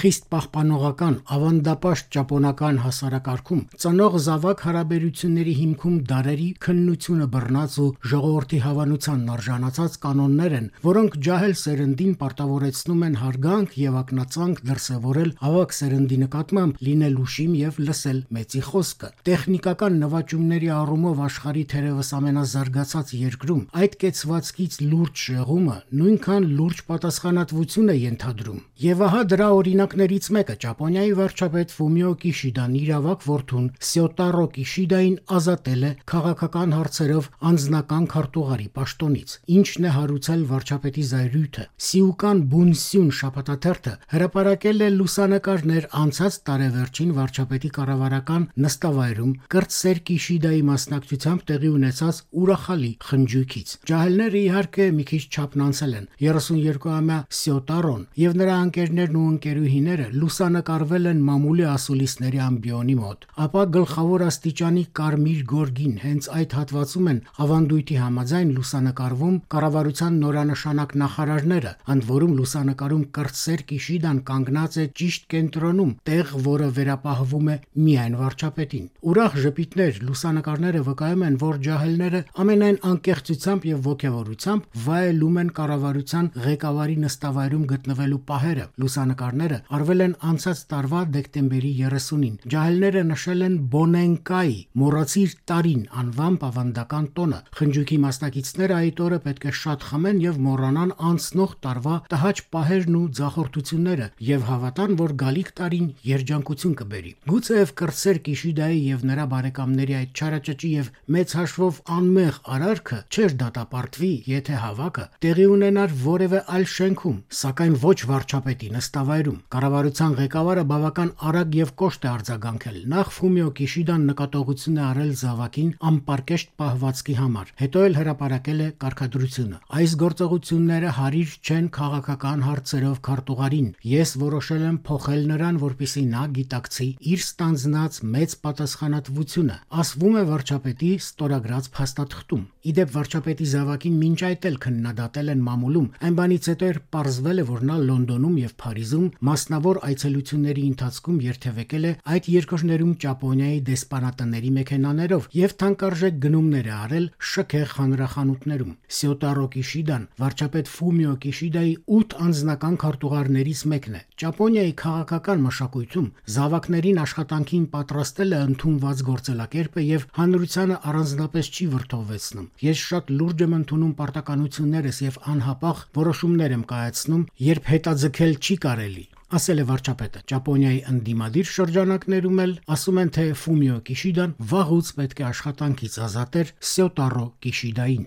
խիստ պահպանողական, ավանդապաշտ ճապոնական հասարակարգում ծնող զավակ հարաբերությունների հիմքում դարերի քննությունը բռնած ու ժողովրդի հավանությանն արժանացած կանոններ են, որոնք ջահել սերնդին պարտավորեցնում են հարգանք եւ ակնածանք դրսեւորել ավակ սերնդի նկատմամբ, լինել ուշիմ եւ լսել մեծի խոսքը։ Տեխնիկական նվաճումների առումով աշխարհի թերևս ամենազարգացած երկրում այդ կեցվածքից լուրջ շեղումը նույնքան լուրջ պատասխանատվություն է ենթադրում։ Եվ ահա դրա օրինակներից մեկը Ճապոնիայի վարչապետ Ֆումիո Կիշիդան իր ավակ որդուն Սյոտարո Կիշիդային ազատել է քաղաքական հարցերով անձնական քարտուղարի պաշտոնից, ինչն է հարուցել վարչապետի զայրույթը։ Սիուկան Բունսյուն շաբաթաթերթը հրապարակել է լուսանկարներ անցած տարեվերջին վարչապետի կառավարական նստավայրում կրտսեր Կիշիդայի մասնակցությամբ տեղի ունեցած ուրախալի խնջույքից։ Ջահելները իհարկե մի քիչ չափն անցել են։ 32-ամյա Սյոտարոն եւ նրա ընկերներն ու ընկերուհիները լուսանկարվել են մամուլի ասուլիսների ամբիոնի մոտ, ապա գլխավոր աստիճանի կարմիր գորգին հենց այդ հատվածում են ավանդույթի համաձայն լուսանկարվում կառավարության նորանշանակ նախարարները, ընդ որում լուսանկարում կրտսեր Կիշիդան կանգնած է ճիշտ կենտրոնում, տեղ, որը վերապահվում է միայն վարչապետին։ Ուրախ ժպիտներ, լուսանկարները վկայում են, որ ջահելները ամենայն անկեղծությամբ եւ ոգևորությամբ վայելում են կառավարության ղեկավարի նստավայրում գտնվելու պահերը։ Լուսանկարները արվել են անցած տարվա դեկտեմբերի 30-ին։ Ջահելները նշել են Բոնենկայի մոռացիր տարին անվամբ ավանդական տոնը։ Խնջույքի մասնակիցները այդ օրը պետք է շատ խմեն եւ մոռանան անցնող տարվա տհաճ պահերն ու ձախորդությունները եւ հավատան, որ գալիք տարին երջանկություն կբերի։ Գուցեև կրտսեր Կիշիդայի եւ նրա բարեկամների այդ չարաճճի եւ մեծ հաշվով անմեղ արարքը չէր դատապարտվի, եթե հավաքը տեղի ունենար որևէ այլ շենքում, սակայն ոչ վարչապետի նստավայրում։ Կառավարության ղեկավարը բավական արագ եւ կոշտ է արձագանքել։ Նախ Ֆումիո Կիշիդան նկատողություն է արել զավակին անպարկեշտ պահվածքի համար, հետո էլ հրապարակել է կարգադրությունը։ Այս գործողությունները հարիր չեն քաղաքական հարցերով քարտուղարին։ Ես որոշել եմ փոխել նրան, որպեսզի նա գիտակցի իր ստանձնած մեծ պատասխանատվությունը, ասվում է վարչապետի ստորագրած փաստաթղթում։ Իդեպ վարչապետի զավակին մինչ այդ էլ քննադատել են մամուլում, այն բանից հետո էր պարզվել է, որ նա Լոնդոնում եւ Փարիզում մասնավոր այցելությունների ընթացքում երթևեկել է այդ երկրներում Ճապոնիայի դեսպանատների մեքենաներով եւ թանկարժեք գնումներ է արել շքեղ հանրախանութներում։ Սյոտարո Կիշիդան վարչապետ Ֆումիո Կիշիդայի 8 անձնական քարտուղարներից մեկն է։ Ճապոնիայի քաղաքական մշակույթում զավակներին աշխատանքին պատրաստելը ընդունված գործելակերպ է եւ հանրությանը առանձնապես չի վրդովվեցնում։ Ես շատ լուրջ եմ ընդունում պարտականություններս եւ անհապաղ որոշումներ եմ կայացնում, երբ հետաձգել չի կարելի, ասել է վարչապետը։ Ճապոնիայի ընդդիմադիր շրջանակներում էլ ասում են, թե Ֆումիո Կիշիդան վաղուց պետք է աշխատանքից ազատեր Սյոտարո Կիշիդային։